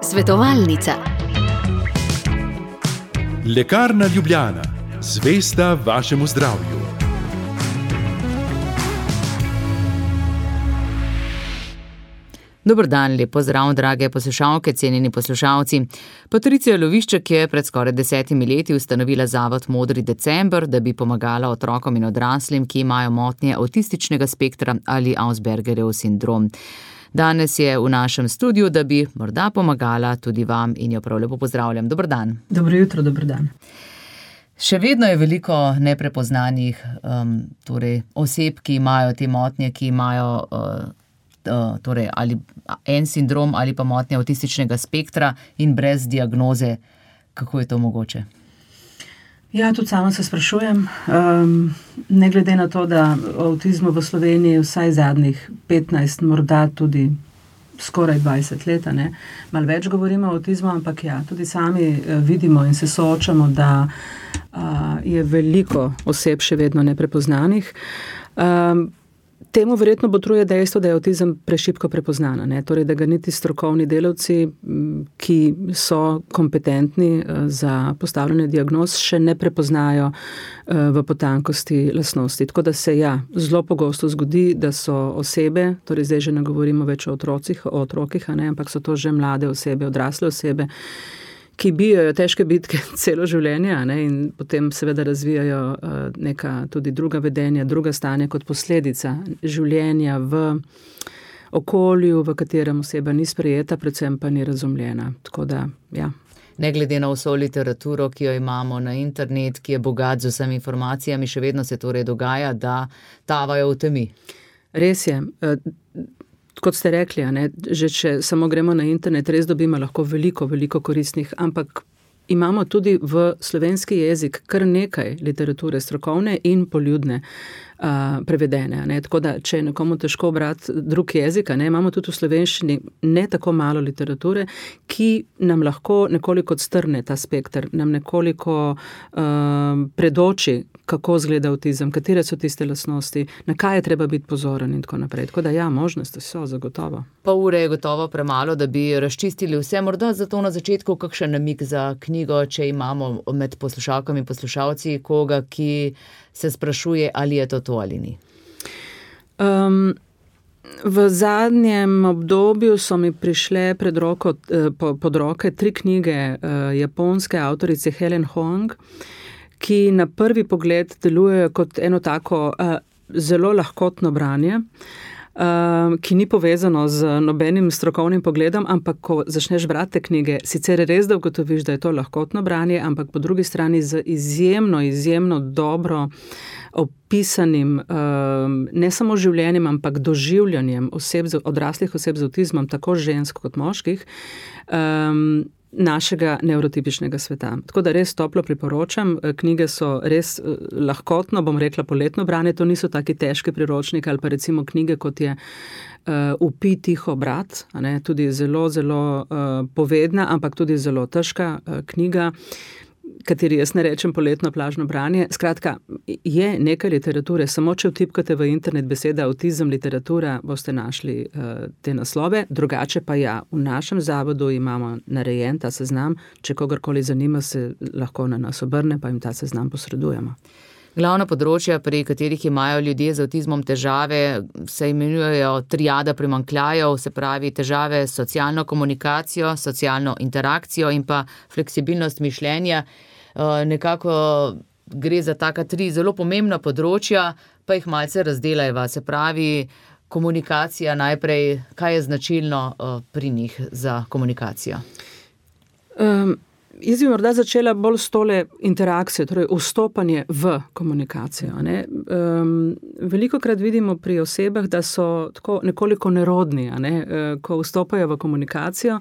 Svetovalnica. Lekarna Ljubljana, zvesta vašemu zdravju. Dober dan, lep pozdrav, drage poslušalke, cenjeni poslušalci. Patricija Lovišček je pred skoraj 10 leti ustanovila zavod Modri december, da bi pomagala otrokom in odraslim, ki imajo motnje avtističnega spektra ali Aspergerjev sindrom. Danes je v našem studiu, da bi morda pomagala tudi vam in jo prav lepo pozdravljam. Dober dan. Dobro jutro, dober dan. Še vedno je veliko neprepoznanih oseb, ki imajo te motnje, ki imajo ali en sindrom ali pa motnje avtističnega spektra in brez diagnoze. Kako je to mogoče? Ja, tudi sama se sprašujem. Ne glede na to, da o avtizmu v Sloveniji vsaj zadnjih 15, morda tudi skoraj 20 let, malo več govorimo o avtizmu, ampak ja, tudi sami vidimo in se soočamo, da je veliko oseb še vedno neprepoznanih. Temu verjetno botruje dejstvo, da je avtizem prešibko prepoznana, torej da ga niti strokovni delavci, ki so kompetentni za postavljanje diagnoz, še ne prepoznajo v potankosti lastnosti. Tako da se zelo pogosto zgodi, da so osebe, torej zdaj že ne govorimo več o otrokih, ampak so to že mlade osebe, odrasle osebe, ki bijajo težke bitke celo življenje in potem seveda razvijajo neka tudi druga vedenja, druga stanja kot posledica življenja v okolju, v katerem oseba ni sprejeta, predvsem pa ni razumljena. Tako da, ja. Ne glede na vso literaturo, ki jo imamo na internet, ki je bogat z vsemi informacijami, še vedno se torej dogaja, da tavajo v temi. Res je. Kot ste rekli, že če samo gremo na internet, res dobimo lahko veliko koristnih, ampak imamo tudi v slovenski jezik kar nekaj literature strokovne in poljudne prevedene. Tako da, če je nekomu težko brati drug jezik, imamo tudi v slovenščini ne tako malo literature, ki nam lahko nekoliko odstrne ta spekter, nam nekoliko predoči, kako izgleda avtizem, katere so tiste lastnosti, na kaj je treba biti pozoren in tako naprej. Tako da možnosti so zagotovo. Pol ure je gotovo premalo, da bi razčistili vse. Morda zato na začetku kakšen namig za knjigo, če imamo med poslušalkami in poslušalci koga, ki se sprašuje, ali je to ali ni. V zadnjem obdobju so mi prišle pod roke 3 knjige japonske avtorice Helen Hoang, ki na prvi pogled delujejo kot eno tako zelo lahkotno branje, ki ni povezano z nobenim strokovnim pogledom, ampak ko začneš brati knjige, sicer res da ugotoviš, da je to lahkotno branje, ampak po drugi strani z izjemno dobro opisanim ne samo življenjem, ampak doživljanjem odraslih oseb z avtizmom, tako žensk kot moških, našega nevrotipičnega sveta. Tako da res toplo priporočam, knjige so res lahkotno, bom rekla poletno branje, to niso taki težki priročniki ali pa recimo knjige, kot je Upi tiho brat, tudi zelo povedna, ampak tudi zelo težka knjiga, kateri jaz ne rečem poletno plažno branje. Skratka, je nekaj literature, samo če vtipkate v internet beseda avtizem, literatura, boste našli te naslove, drugače pa v našem zavodu imamo narejen ta seznam, če kogarkoli zanima, se lahko na nas obrne, pa jim ta seznam posredujemo. Glavna področja, pri katerih imajo ljudje z avtizmom težave, se imenujejo triada primanjkljajev, se pravi težave s socialno komunikacijo, socialno interakcijo in pa fleksibilnost mišljenja. Nekako gre za taka 3 zelo pomembna področja, pa jih malce razdelajva. Se pravi, komunikacija najprej, kaj je značilno pri njih za komunikacijo? Jaz bi morda začela bolj s tole interakcijo, torej vstopanje v komunikacijo. Velikokrat vidimo pri osebah, da so tako nekoliko nerodni, ko vstopajo v komunikacijo,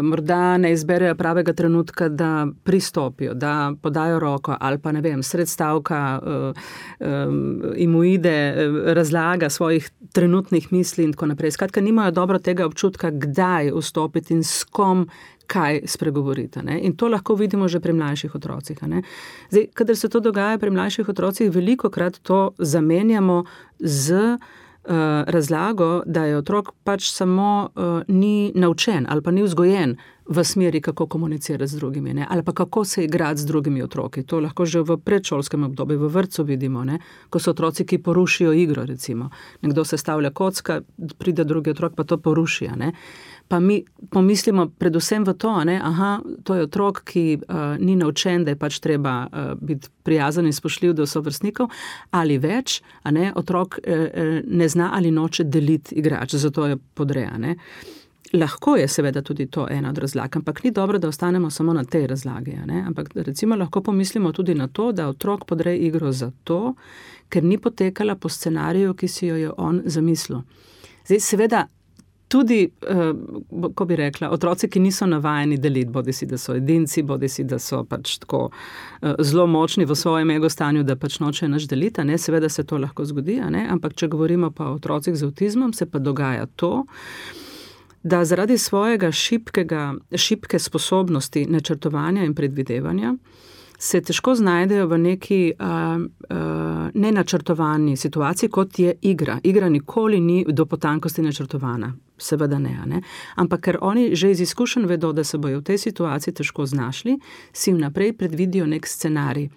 morda ne izberejo pravega trenutka, da pristopijo, da podajo roko ali pa sred stavka jim uide razlaga svojih trenutnih misli in tako naprej. Skratka, nimajo dobro tega občutka, kdaj vstopiti in s kom kaj spregovoriti. In to lahko vidimo že pri mlajših otrocih. Zdaj, kadar se to dogaja pri mlajših otrocih, velikokrat to zamenjamo z razlago, da je otrok pač samo ni naučen ali pa ni vzgojen v smeri, kako komunicirati z drugimi, ne? Ali pa kako se igrati z drugimi otroki. To lahko že v predšolskem obdobju, v vrtcu vidimo, ne? Ko so otroci, ki porušijo igro, recimo. Nekdo sestavlja kocka, pride drugi otrok, pa to poruši, ne? Pa mi pomislimo predvsem v to, ne? Aha, to je otrok, ki ni naučen, da je pač treba biti prijazen in spoštljiv do sovrstnikov, ali več, a ne? Otrok ne zna ali noče deliti igrač, zato je podreja, ne? Lahko je seveda tudi to ena od razlag, ampak ni dobro, da ostanemo samo na tej razlagi, ne? Ampak recimo lahko pomislimo tudi na to, da otrok podreja igro zato, ker ni potekala po scenariju, ki si jo je on zamislil. Zdaj seveda tudi, ko bi rekla, otroci, ki niso navajeni deliti, bodisi da so edinci, bodisi da so pač tako zelo močni v svojem egostanju, da pač nočejo nič deliti, ne? Seveda se to lahko zgodi, ne? Ampak če govorimo pa o otrocih z avtizmom, se pa dogaja to, da zaradi svojega šibke sposobnosti načrtovanja in predvidevanja se težko znajdejo v neki nenačrtovani situaciji, kot je igra. Igra nikoli ni do potankosti načrtovana. Seveda ne? Ampak ker oni že iz izkušenj vedo, da se bojo v tej situaciji težko znašli, si vnaprej predvidijo nek scenarij,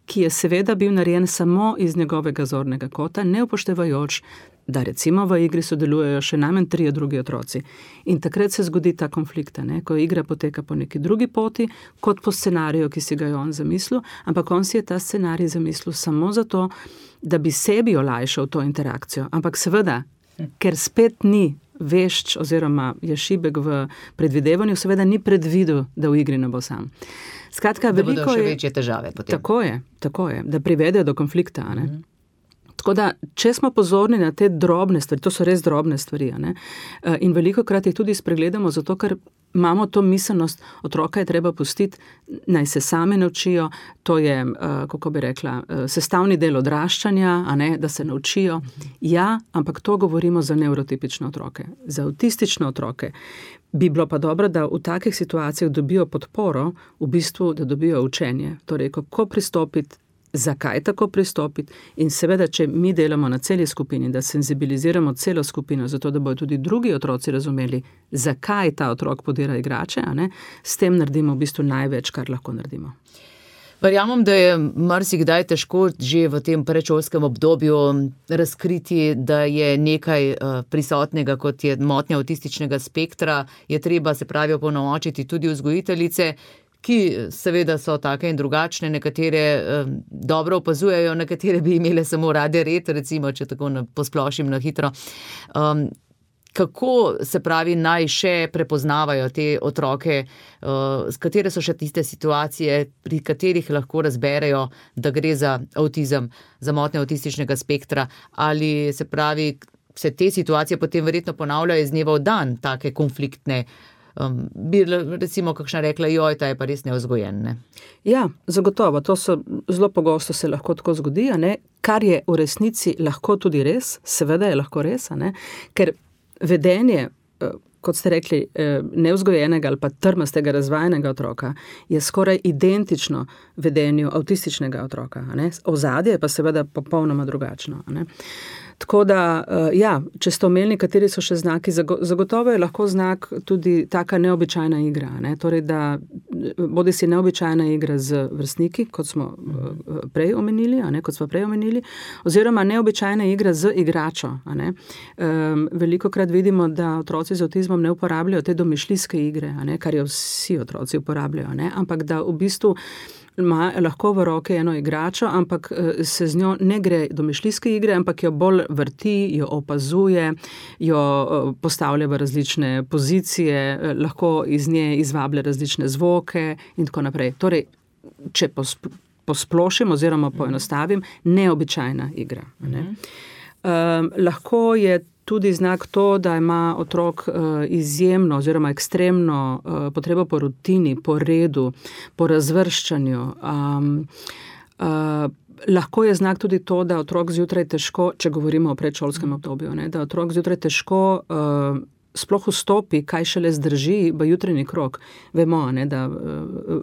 ki je seveda bil narejen samo iz njegovega zornega kota, ne upoštevajoč, da recimo v igri sodelujejo še najmanj 3 drugi otroci. In takrat se zgodi ta konflikt, ne? Ko igra poteka po neki drugi poti, kot po scenariju, ki si ga je on zamislil, ampak on si je ta scenarij zamislil samo zato, da bi sebi olajšal to interakcijo. Ampak seveda, ker spet ni vešč oziroma je šibek v predvidevanju, seveda ni predvidel, da v igri ne bo sam. Skratka, da bodo še večje težave potem. Tako je, da privedejo do konflikta, ne? Tako da, če smo pozorni na te drobne stvari, to so res drobne stvari, ne? In velikokrat jih tudi spregledamo, zato ker imamo to miselnost, otroka je treba pustiti, naj se sami naučijo, to je, kako bi rekla, sestavni del odraščanja, a ne, da se naučijo. Ja, ampak to govorimo za nevrotipične otroke. Za avtistične otroke bi bilo pa dobro, da v takih situacijah dobijo podporo, v bistvu, da dobijo učenje. Torej, kako pristopiti, zakaj tako pristopiti in seveda, če mi delamo na celi skupini, da senzibiliziramo celo skupino, zato da bodo tudi drugi otroci razumeli, zakaj ta otrok podira igrače, a ne, s tem naredimo v bistvu največ, kar lahko naredimo. Verjamem, da je marsikdaj težko že v tem predšolskem obdobju razkriti, da je nekaj prisotnega, kot je motnja avtističnega spektra, je treba, se pravi, opolnomočiti tudi vzgojiteljice, ki seveda so take in drugačne, nekatere dobro opazujejo, nekatere bi imele samo rade red, recimo, če tako posplošim na hitro. Kako, se pravi, naj še prepoznavajo te otroke, katere so še tiste situacije, pri katerih lahko razberejo, da gre za avtizem, za motnje avtističnega spektra, ali, se pravi, se te situacije potem verjetno ponavljajo iz dneva v dan, take konfliktne, bi recimo kakšna rekla, joj, ta je pa res nevzgojen, ne? Ja, zagotovo, to so zelo pogosto se lahko tako zgodi, ne? Kar je v resnici lahko tudi res, seveda je lahko res, ne? Ker vedenje, kot ste rekli, nevzgojenega ali pa trmastega razvajenega otroka je skoraj identično vedenju avtističnega otroka, ne? Ozadje je pa seveda popolnoma drugačno, ne? Tako da, ja, če ste omenili, kateri so še znaki, zagotovo je lahko znak tudi taka neobičajna igra, ne? Torej, da bodi si neobičajna igra z vrstniki, kot smo prej omenili, a ne, oziroma neobičajna igra z igračo, a ne. Velikokrat vidimo, da otroci z avtizmom ne uporabljajo te domišljijske igre, a ne, kar jo vsi otroci uporabljajo, ne, ampak da v bistvu ima lahko v roke eno igračo, ampak se z njo ne gre domišljijske igre, ampak jo bolj vrti, jo opazuje, jo postavlja v različne pozicije, lahko iz nje izvablja različne zvoke in tako naprej. Torej, če posplošim oziroma poenostavim, neobičajna igra, ne. Lahko je tudi znak to, da ima otrok izjemno oziroma ekstremno potrebo po rutini, po redu, po razvrščanju. Lahko je znak tudi to, da otrok zjutraj težko, če govorimo o predšolskem obdobju, ne, da otrok zjutraj težko sploh vstopi, kaj šele zdrži v jutranji krog. Vemo, ne, da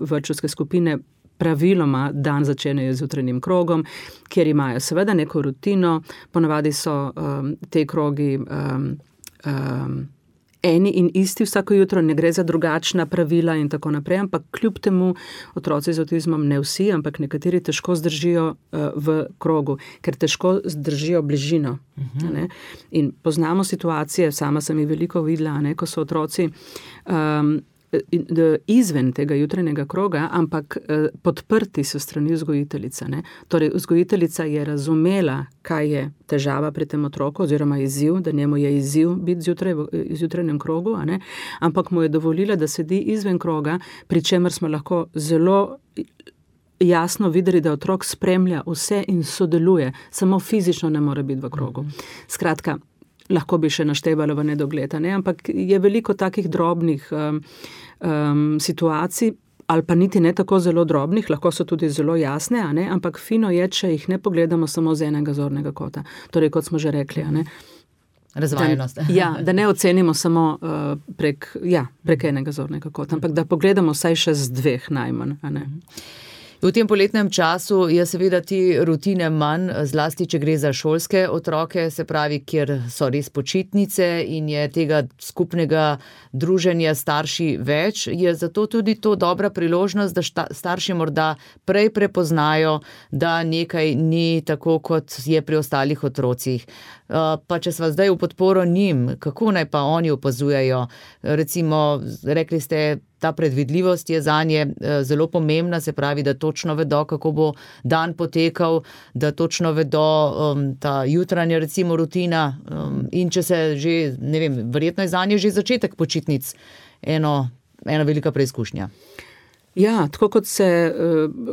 vrtčevske skupine praviloma dan začenjajo z jutranjim krogom, kjer imajo seveda neko rutino, ponavadi so te krogi eni in isti vsako jutro, ne gre za drugačna pravila in tako naprej, ampak kljub temu otroci z avtizmom, ne vsi, ampak nekateri težko zdržijo v krogu, ker težko zdržijo bližino. Ne? In poznamo situacije, sama sem jih veliko videla, ne, ko so otroci izven tega jutranjega kroga, ampak podprti so strani vzgojiteljice. Ne? Torej, vzgojiteljica je razumela, kaj je težava pri tem otroku, oziroma izziv, da njemu je izziv biti zjutraj v jutranjem krogu, a ne? Ampak mu je dovolila, da sedi izven kroga, pri čemer smo lahko zelo jasno videli, da otrok spremlja vse in sodeluje, samo fizično ne more biti v krogu. Skratka, lahko bi še naštevalo v nedogled, ne? Ampak je veliko takih drobnih situacij, ali pa niti ne tako zelo drobnih, lahko so tudi zelo jasne, a ne? Ampak fino je, če jih ne pogledamo samo z enega zornega kota. Torej, kot smo že rekli, a ne? Razvajenost. Da ne ocenimo samo prek enega zornega kota, ampak da pogledamo vsaj še z dveh najmanj, a ne? V tem poletnem času je seveda ti rutine manj, zlasti, če gre za šolske otroke, se pravi, kjer so res počitnice in je tega skupnega druženja starši več, je zato tudi to dobra priložnost, da starši morda prej prepoznajo, da nekaj ni tako, kot je pri ostalih otrocih. Pa če sva zdaj v podporo njim, kako naj pa oni opazujejo? Recimo, rekli ste, ta predvidljivost je zanje zelo pomembna, se pravi, da točno vedo, kako bo dan potekal, da točno vedo ta jutranja recimo rutina in če se že, ne vem, verjetno je zanje že začetek počitnic ena velika preizkušnja. Ja, tako kot se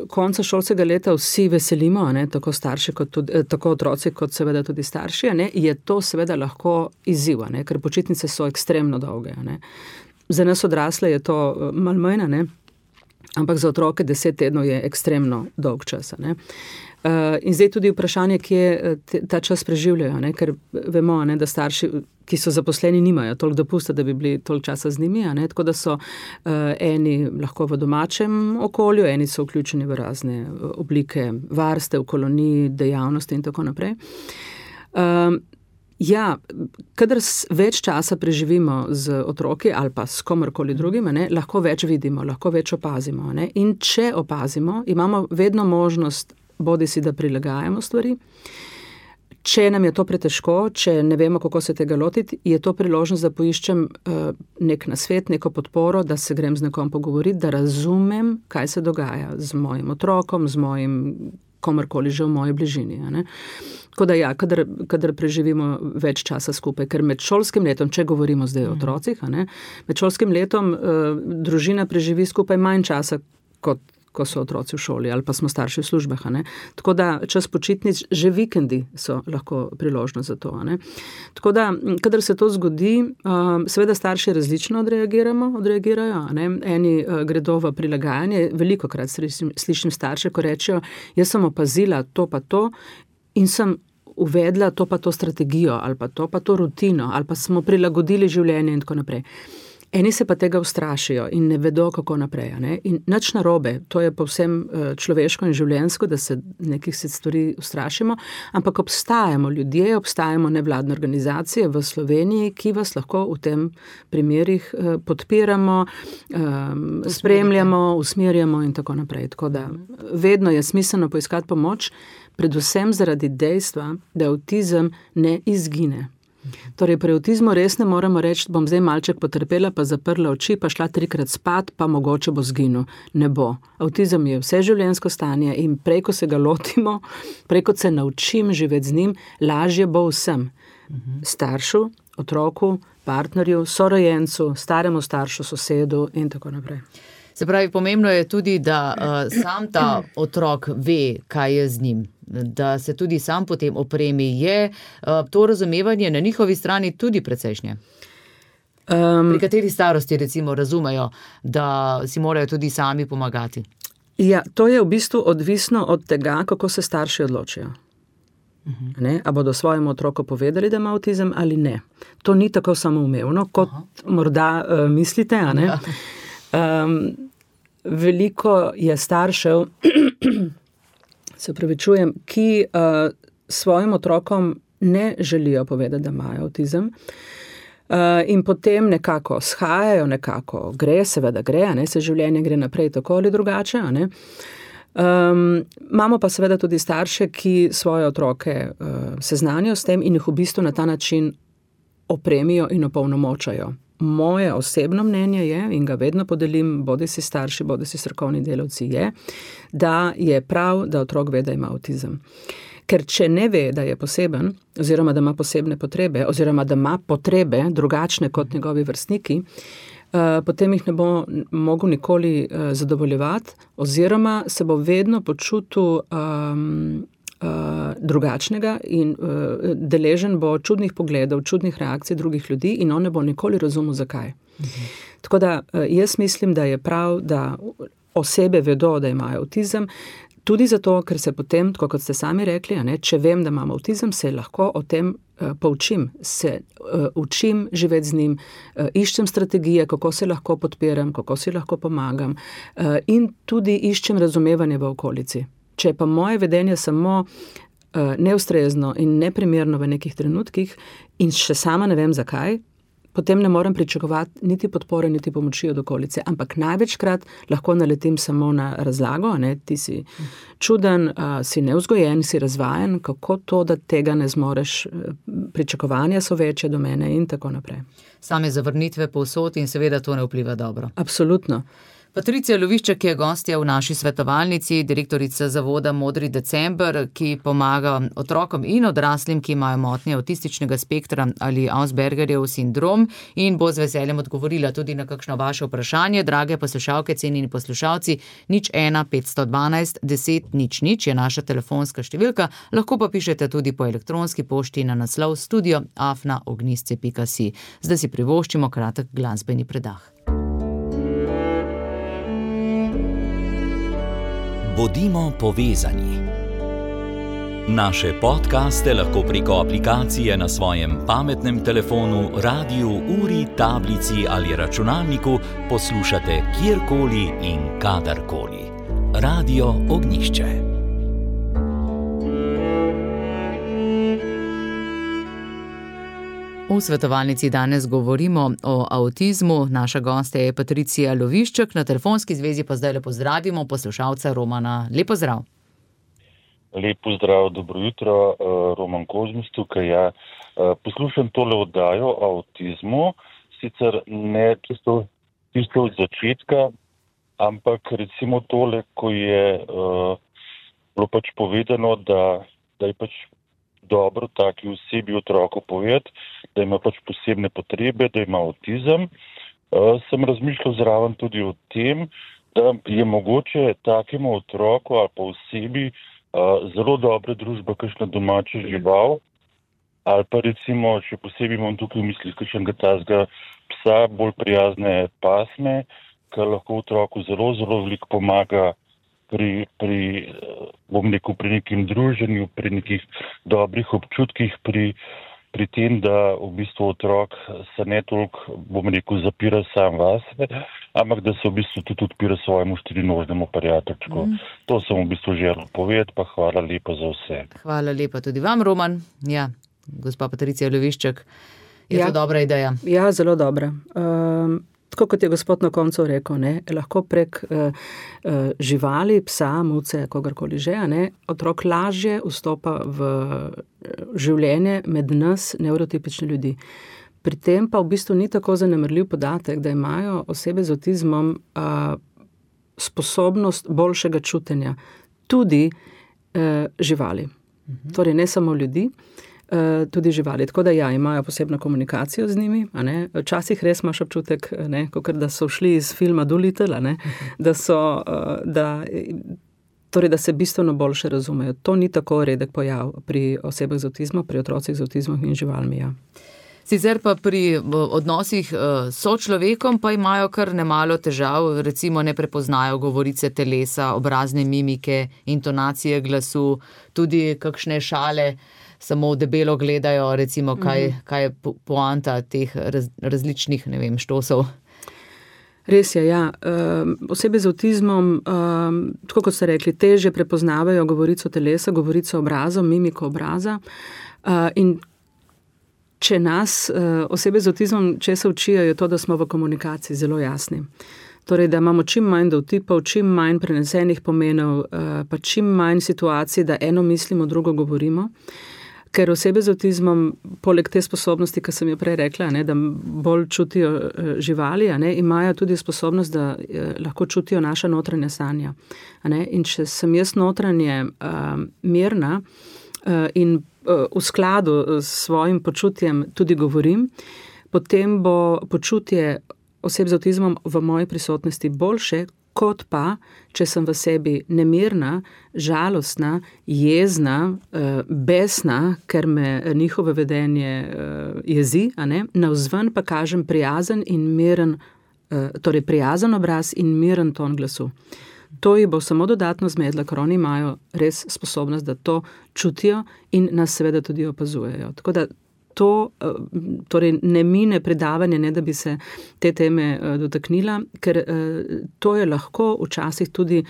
konca šolskega leta vsi veselimo, ne, tako starši kot tudi, tako otroci kot seveda tudi starši, ne, je to seveda lahko izziv, ne, ker počitnice so ekstremno dolge, ne. Za nas odrasle je to malo manj, ne, ampak za otroke 10 tednov je ekstremno dolg čas, ne. In zdaj tudi vprašanje, kje ta čas preživljajo, ne, ker vemo, ne, da starši, ki so zaposleni, nimajo toliko dopusta, da bi bili toliko časa z njimi, ne, tako da so eni lahko v domačem okolju, eni so vključeni v razne oblike varstev, kolonij, dejavnosti in tako naprej. Kadar več časa preživimo z otroki ali pa s komorkoli drugim, ne, lahko več vidimo, lahko več opazimo, ne, in če opazimo, imamo vedno možnost bodisi da prilagajamo stvari. Če nam je to pretežko, če ne vemo, kako se tega lotiti, je to priložnost, da poiščem nek nasvet, neko podporo, da se grem z nekom pogovoriti, da razumem, kaj se dogaja z mojim otrokom, z mojim komorkoli že v moji bližini. Ne? Tako da kadar preživimo več časa skupaj, ker med šolskim letom, če govorimo zdaj o otrocih, ne, med šolskim letom družina preživi skupaj manj časa, kot ko so otroci v šoli ali pa smo starši v službah. Ne? Tako da čas počitnic, že vikendi so lahko priložnost za to. Ne? Tako da, kadar se to zgodi, seveda starši različno odreagirajo. Ne? Eni gredo v prilagajanje, velikokrat slišim starše, ko rečejo, jaz sem opazila to pa to in sem uvedla to pa to strategijo ali pa to rutino ali pa smo prilagodili življenje in tako naprej. Eni se pa tega ustrašijo in ne vedo, kako naprej. Ne? In nič narobe, to je povsem človeško in življenjsko, da se nekih stvari ustrašimo, ampak obstajamo ljudje, obstajamo nevladne organizacije v Sloveniji, ki vas lahko v tem primerih podpiramo, spremljamo, usmerjamo in tako naprej. Tako da vedno je smiselno poiskati pomoč, predvsem zaradi dejstva, da avtizem ne izgine. Torej, pri avtizmu res ne moremo reči, bom zdaj malček potrpela, pa zaprla oči, pa šla 3krat spat, pa mogoče bo zginil. Ne bo. Avtizem je vseživljenjsko stanje in prej, ko se ga lotimo, prej, ko se naučim živeti z njim, lažje bo vsem. Staršu, otroku, partnerju, sorojencu, staremu staršu, sosedu in tako naprej. Se pravi, pomembno je tudi, da sam ta otrok ve, kaj je z njim, da se tudi sam potem opremi. Je to razumevanje na njihovi strani tudi precejšnje? Pri kateri starosti recimo razumejo, da si morajo tudi sami pomagati? Ja, to je v bistvu odvisno od tega, kako se starši odločijo. Ne? A bodo svojemu otroku povedali, da ima avtizem ali ne. To ni tako samoumevno, kot morda mislite, a ne? veliko je staršev, se opravičujem, ki svojim otrokom ne želijo povedati, da imajo avtizem. In potem nekako shajajo, nekako gre, seveda gre, ne, se življenje gre naprej tako ali drugače. Ne. Imamo pa seveda tudi starše, ki svoje otroke seznanijo s tem in jih v bistvu na ta način opremijo in opolnomočajo. Moje osebno mnenje je, in ga vedno podelim, bodi si starši, bodi si strokovni delavci, je, da je prav, da otrok ve, da ima avtizem. Ker če ne ve, da je poseben, oziroma da ima posebne potrebe, oziroma da ima potrebe drugačne kot njegovi vrstniki, potem jih ne bo mogel nikoli zadovoljevati, oziroma se bo vedno počutil drugačnega in deležen bo čudnih pogledov, čudnih reakcij drugih ljudi in on ne bo nikoli razumel, zakaj. Tako da jaz mislim, da je prav, da osebe vedo, da imajo avtizem, tudi zato, ker se potem, tako kot ste sami rekli, ne, če vem, da imam avtizem, se lahko o tem poučim, se učim živeti z njim, iščem strategije, kako se lahko podpiram, kako si lahko pomagam in tudi iščem razumevanje v okolici. Če pa moje vedenje samo neustrezno in neprimerno v nekih trenutkih in še sama ne vem zakaj, potem ne morem pričakovati niti podpore, niti pomoči od okolice. Ampak največkrat lahko naletim samo na razlago, ne, ti si čuden, si nevzgojen, si razvajen, kako to, da tega ne zmoreš, pričakovanja so večje do mene in tako naprej. Same zavrnitve povsod in seveda to ne vpliva dobro. Absolutno. Patricija Lovišček je gostja v naši svetovalnici, direktorica zavoda Modri december, ki pomaga otrokom in odraslim, ki imajo motnje avtističnega spektra ali Aspergerjev sindrom in bo z veseljem odgovorila tudi na kakšno vaše vprašanje. Drage poslušalke, cenjeni poslušalci, 01 512 10 00 je naša telefonska številka, lahko pa pišete tudi po elektronski pošti na naslov studio@ognisce.si. Zdaj si privoščimo kratek glasbeni predah. Bodimo povezani. Naše podcaste lahko preko aplikacije na svojem pametnem telefonu, radiju, uri, tablici ali računalniku poslušate kjerkoli in kadarkoli. Radio Ognjišče. V svetovalnici danes govorimo o avtizmu. Naša gostja je Patricija Lovišček, na telefonski zvezi pa zdaj pozdravimo poslušalca Romana. Lep pozdrav. Lep pozdrav, dobro jutro, Roman Kozmus tukaj. Ja. Poslušam tole oddajo o avtizmu, sicer ne čisto od začetka, ampak recimo tole, ko je bilo pač povedano, da je pač dobro taki osebi otroku povedati, da ima pač posebne potrebe, da ima avtizem. Sem razmišljal zraven tudi o tem, da je mogoče takemu otroku ali pa osebi zelo dobra družba, kakšna domača žival, ali pa recimo, še posebej imam tukaj v mislih kakšnega tazga psa, bolj prijazne pasme, ki lahko otroku zelo, zelo veliko pomaga pri nekem druženju, pri nekih dobrih občutkih, pri tem, da v bistvu otrok se ne toliko, zapira sam vase, ampak da se v bistvu tudi odpira svojemu štirinožnemu prijateljčku. To sem v bistvu želel povedati, pa hvala lepa za vse. Hvala lepa tudi vam, Roman. Ja, gospa Patricija Lovišček, je to dobra ideja? Ja, zelo dobra. Tako kot je gospod na koncu rekel, ne, lahko prek živali, psa, muce, kogarkoli že, ne, otrok lažje vstopa v življenje med nas nevrotipične ljudi. Pri tem pa v bistvu ni tako zanemarljiv podatek, da imajo osebe z avtizmom sposobnost boljšega čutenja, tudi živali. Torej ne samo ljudi, tudi živali. Tako da ja, imajo posebno komunikacijo z njimi. Včasih res imaš občutek, kakor da so šli iz filma Dolittle, da se bistveno boljše razumejo. To ni tako redek pojav pri osebah z avtizmom, pri otrocih z avtizmom in živalmi. Ja. Sicer pa pri odnosih s sočlovekom pa imajo kar nemalo težav, recimo ne prepoznajo govorice telesa, obrazne mimike, intonacije glasu, tudi kakšne šale, samo debelo gledajo, recimo, kaj je poanta teh različnih, štosov. Res je, ja. Osebe z avtizmom, tako kot ste rekli, težje prepoznavajo govorico telesa, govorico obraza, mimiko obraza. In če nas osebe z avtizmom česa učijo, je to, da smo v komunikaciji zelo jasni. Torej, da imamo čim manj dovtipov, čim manj prenesenih pomenov, pa čim manj situacij, da eno mislimo, drugo govorimo. Ker osebe z avtizmom, poleg te sposobnosti, ki sem jo prej rekla, da bolj čutijo živali, imajo tudi sposobnost, da lahko čutijo naša notranja stanja. In če sem jaz notranje mirna in v skladu s svojim počutjem tudi govorim, potem bo počutje oseb z avtizmom v moji prisotnosti boljše, kot pa, če sem v sebi nemirna, žalostna, jezna, besna, ker me njihovo vedenje jezi, navzven pa kažem prijazen in miren, torej prijazen obraz in miren ton glasu. To jih bo samo dodatno zmedlo, ker oni imajo res sposobnost, da to čutijo in nas seveda tudi opazujejo. Tako da to torej ne mine predavanje, ne da bi se te teme dotaknila, ker to je lahko včasih tudi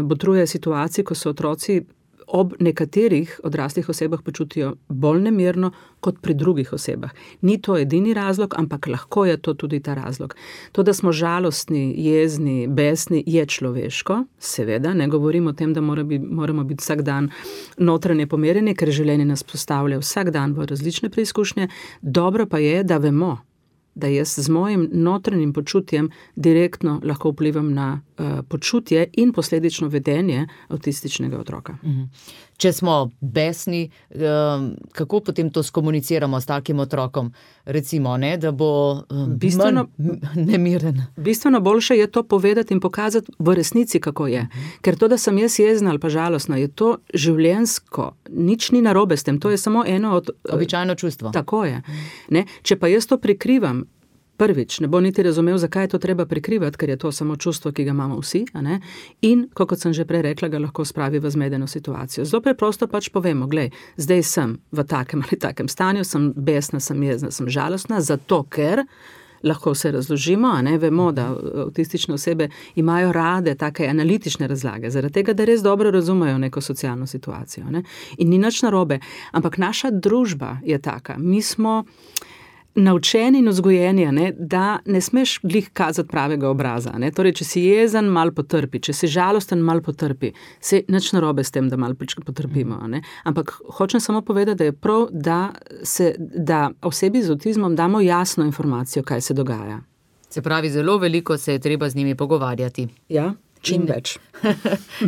botruje situaciji, ko so otroci ob nekaterih odraslih osebah počutijo bolj nemirno kot pri drugih osebah. Ni to edini razlog, ampak lahko je to tudi ta razlog. To, da smo žalostni, jezni, besni, je človeško, seveda, ne govorim o tem, da moramo biti vsak dan notranje pomerjeni, ker življenje nas postavlja vsak dan v različne preizkušnje. Dobro pa je, da vemo, da jaz z mojim notranjim počutjem direktno lahko vplivam na počutje in posledično vedenje avtističnega otroka. Če smo besni, kako potem to skomuniciramo s takim otrokom? Recimo, da bo manj nemiren. Bistveno boljše je to povedati in pokazati v resnici, kako je. Ker to, da sem jaz jezna ali pa žalostna, je to življenjsko. Nič ni narobe s tem. To je samo eno od... Običajno čustvo. Tako je. Če pa jaz to prikrivam, prvič, ne bo niti razumel, zakaj je to treba prikrivati, ker je to samo čustvo, ki ga imamo vsi, in, kot sem že prej rekla, ga lahko spravi v zmedeno situacijo. Zelo preprosto pač povemo, glej, zdaj sem v takem ali takem stanju, sem besna, sem jezna, sem žalostna, zato ker lahko vse razložimo, vemo, da avtistične osebe imajo rade take analitične razlage, zaradi tega, da res dobro razumejo neko socialno situacijo. In ni nič narobe, ampak naša družba je taka. Mi smo naučeni in vzgojeni, da ne smeš glih kazati pravega obraza. Torej, če si jezen, malo potrpi, če si žalosten, malo potrpi. Se nič narobe s tem, da malo potrpimo. Ampak hočem samo povedati, da je prav, da osebi z avtizmom damo jasno informacijo, kaj se dogaja. Se pravi, zelo veliko se je treba z njimi pogovarjati. Ja, čim več.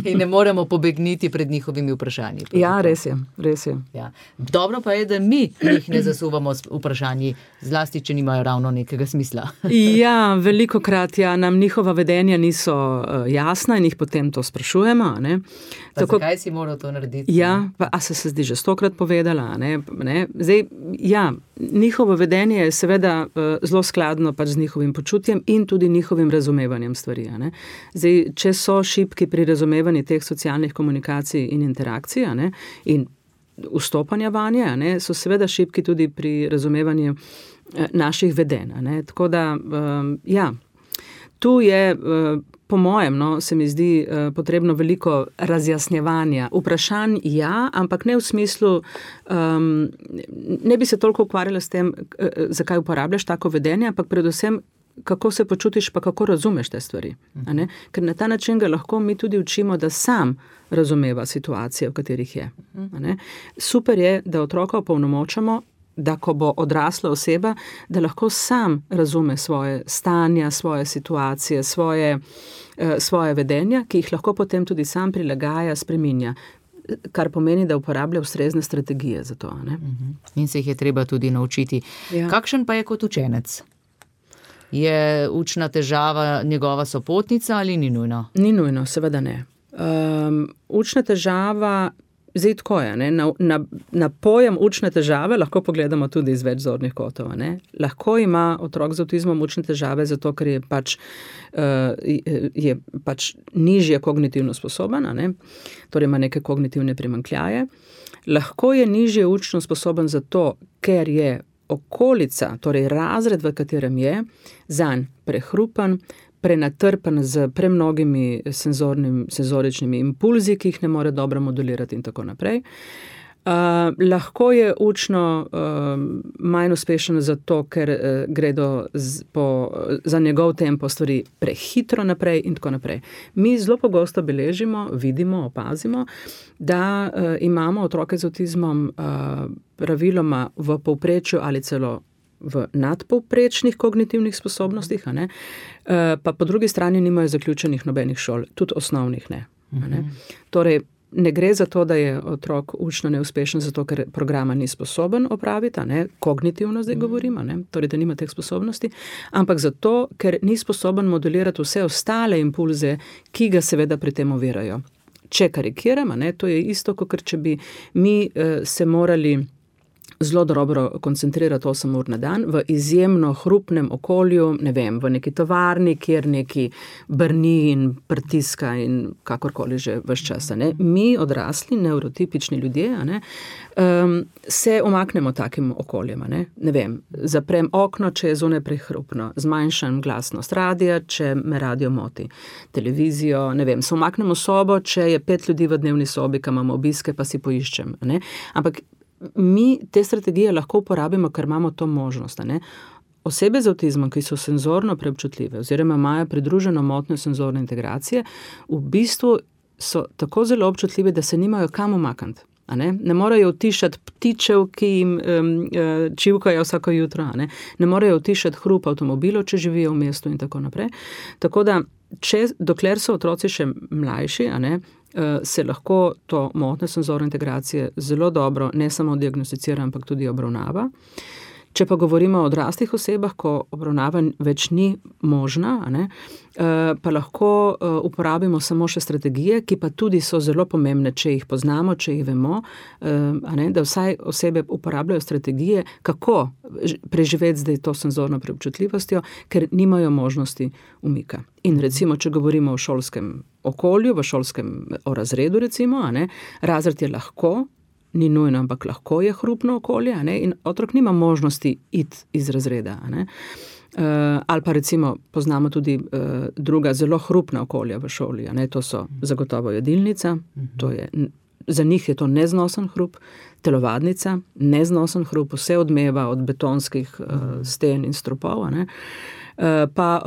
In ne moremo pobegniti pred njihovimi vprašanji. Ja, res je. Ja. Dobro pa je, da mi jih ne zasuvamo s vprašanji, zlasti, če nimajo ravno nekega smisla. Ja, velikokrat nam njihova vedenja niso jasna in jih potem to sprašujemo. Zakaj si moral to narediti? Ja, a se zdi že 100-krat povedala. Zdaj, ja, njihovo vedenje je seveda zelo skladno pač z njihovim počutjem in tudi njihovim razumevanjem stvari. Zdaj, če so šibki pri razumevanju teh socialnih komunikacij in interakcij in vstopanja vanje, so seveda šibki tudi pri razumevanju naših vedenj. Tako da, ja, tu je, po mojem, se mi zdi potrebno veliko razjasnjevanja. Vprašanj ja, ampak ne v smislu, ne bi se toliko ukvarjala s tem, zakaj uporabljaš tako vedenje, ampak predvsem, kako se počutiš, pa kako razumeš te stvari. Ker na ta način ga lahko mi tudi učimo, da sam razumeva situacije, v katerih je. Super je, da otroka opolnomočamo, da ko bo odrasla oseba, da lahko sam razume svoje stanja, svoje situacije, svoje vedenja, ki jih lahko potem tudi sam prilagaja, spreminja. Kar pomeni, da uporablja ustrezne strategije za to. In se jih je treba tudi naučiti. Ja. Kakšen pa je kot učenec? Je učna težava njegova sopotnica ali ni nujno? Ni nujno, seveda ne. Učna težava, zdaj tako je, na pojem učne težave lahko pogledamo tudi iz več zornih kotov. Lahko ima otrok z avtizmom učne težave zato, ker je pač nižje kognitivno sposoben, torej ima neke kognitivne primanjkljaje. Lahko je nižje učno sposoben zato, ker je okolica, torej razred, v katerem je, zanj prehrupen, prenatrpen z premnogimi senzoričnimi impulzi, ki jih ne more dobro modulirati in tako naprej. Lahko je učno manj uspešen zato, ker gredo za njegov tempo stvari prehitro naprej in tako naprej. Mi zelo pogosto beležimo, vidimo, opazimo, da imamo otroke z avtizmom praviloma v povprečju ali celo v nadpovprečnih kognitivnih sposobnostih, pa po drugi strani nimajo zaključenih nobenih šol, tudi osnovnih ne. Torej, ne gre za to, da je otrok učno neuspešen, zato ker programa ni sposoben opraviti, kognitivno zdaj govorimo, torej, da nima teh sposobnosti, ampak zato, ker ni sposoben modulirati vse ostale impulze, ki ga seveda pri tem ovirajo. Če karikiramo, to je isto, kot če bi mi se morali zelo dobro koncentrirati 8 ur na dan v izjemno hrupnem okolju, ne vem, v neki tovarni, kjer neki brni in pritiska in kakorkoli že ves čas. Mi odrasli, neurotipični ljudje, se umaknemo takim okoljem. Ne vem, zaprem okno, če je zunaj prehrupno, zmanjšam glasnost radija, če me radio moti, televizijo, ne vem, se umaknemo sobo, če je 5 ljudi v dnevni sobi, kam imamo obiske, pa si poiščem. Ampak mi te strategije lahko uporabimo, ker imamo to možnost. Osebe z avtizmom, ki so senzorno preobčutljive oziroma imajo pridruženo motnjo senzorne integracije, v bistvu so tako zelo občutljive, da se nimajo kam umakniti. Ne morejo utišati ptičev, ki jim čivkajo vsako jutro, ne morejo utišati hrup avtomobilov, če živijo v mestu in tako naprej. Tako da, dokler so otroci še mlajši, se lahko to motnjo senzorne integracije zelo dobro ne samo diagnosticira, ampak tudi obravnava. Če pa govorimo o odraslih osebah, ko obravnava več ni možna, pa lahko uporabimo samo še strategije, ki pa tudi so zelo pomembne, če jih poznamo, če jih vemo, da vsaj osebe uporabljajo strategije, kako preživeti zdaj to senzorno preobčutljivostjo, ker nimajo možnosti umika. In recimo, če govorimo o šolskem okolju, o razredu recimo, razred je lahko, ni nujno, ampak lahko je hrupno okolje, in otrok nima možnosti iti iz razreda. Ali pa recimo poznamo tudi druga zelo hrupna okolja v šoli, to so zagotovo jedilnica, za njih je to neznosen hrup, telovadnica, neznosen hrup, vse odmeva od betonskih sten in stropov, pa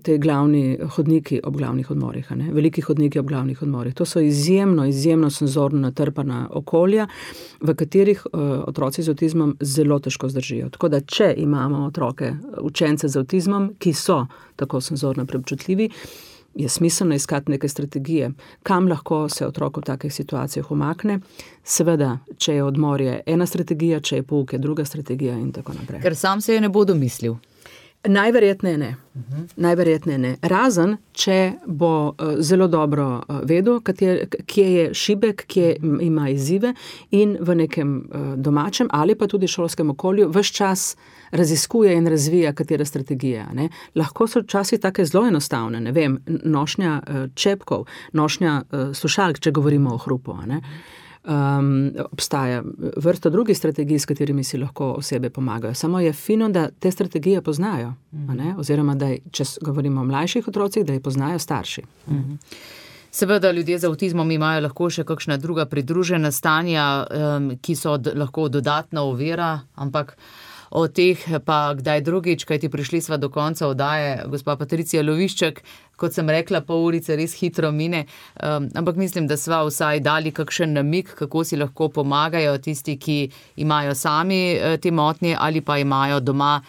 te glavni hodniki ob glavnih odmorih, veliki hodniki ob glavnih odmorih. To so izjemno senzorno natrpana okolja, v katerih otroci z avtizmom zelo težko zdržijo. Tako da, če imamo otroke, učence z avtizmom, ki so tako senzorno preobčutljivi, je smiselno iskati neke strategije, kam lahko se otrok v takih situacijah umakne. Seveda, če je odmorje ena strategija, če je pouk je druga strategija in tako naprej. Ker sam se je ne bo domislil. Najverjetneje ne. Najverjetneje ne. Razen, če bo zelo dobro vedel, kje je šibek, kje ima izzive in v nekem domačem ali pa tudi šolskem okolju ves čas raziskuje in razvija katere strategije. Lahko so včasih take zelo enostavne, ne vem, nošnja čepkov, nošnja slušalk, če govorimo o hrupu. Obstaja vrsta drugih strategij, s katerimi si lahko osebe pomagajo. Samo je fino, da te strategije poznajo, oziroma da, če govorimo o mlajših otrocih, da jih poznajo starši. Seveda ljudje z avtizmom imajo lahko še kakšna druga pridružena stanja, ki so lahko dodatna ovira, ampak o teh pa kdaj drugič, kajti prišli sva do konca oddaje, gospa Patricija Lovišček, kot sem rekla, pol urice res hitro mine, ampak mislim, da sva vsaj dali kakšen namig, kako si lahko pomagajo tisti, ki imajo sami te motnje ali pa imajo doma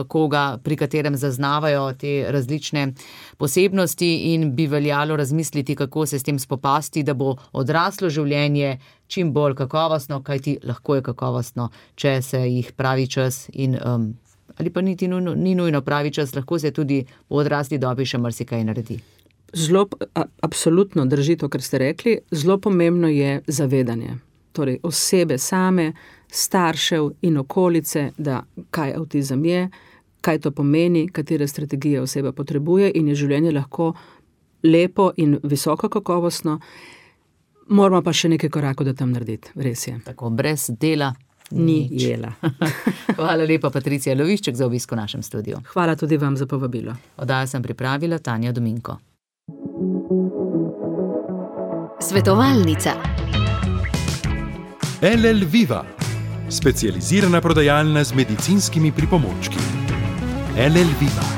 koga, pri katerem zaznavajo te različne posebnosti in bi veljalo razmisliti, kako se s tem spopasti, da bo odraslo življenje čim bolj kakovostno, kajti lahko je kakovostno, če se jih pravi čas in ali pa ni nujno pravi čas, lahko se tudi v odrasli dobi še marsikaj naredi. Zelo, absolutno drži to, kar ste rekli, zelo pomembno je zavedanje. Torej, osebe same, staršev in okolice, da kaj avtizem je, kaj to pomeni, katere strategije oseba potrebuje in je življenje lahko lepo in visoko kakovostno. Moramo pa še nekaj korakov da tam narediti, res je. Tako, brez dela ni jela. Hvala lepa, Patricija Lovišček, za obisk v našem studiu. Hvala tudi vam za povabilo. Oddajo sem pripravila Tanja Dominko. Svetovalnica. LL Viva, specializirana prodajalna z medicinskimi pripomočki. LL Viva.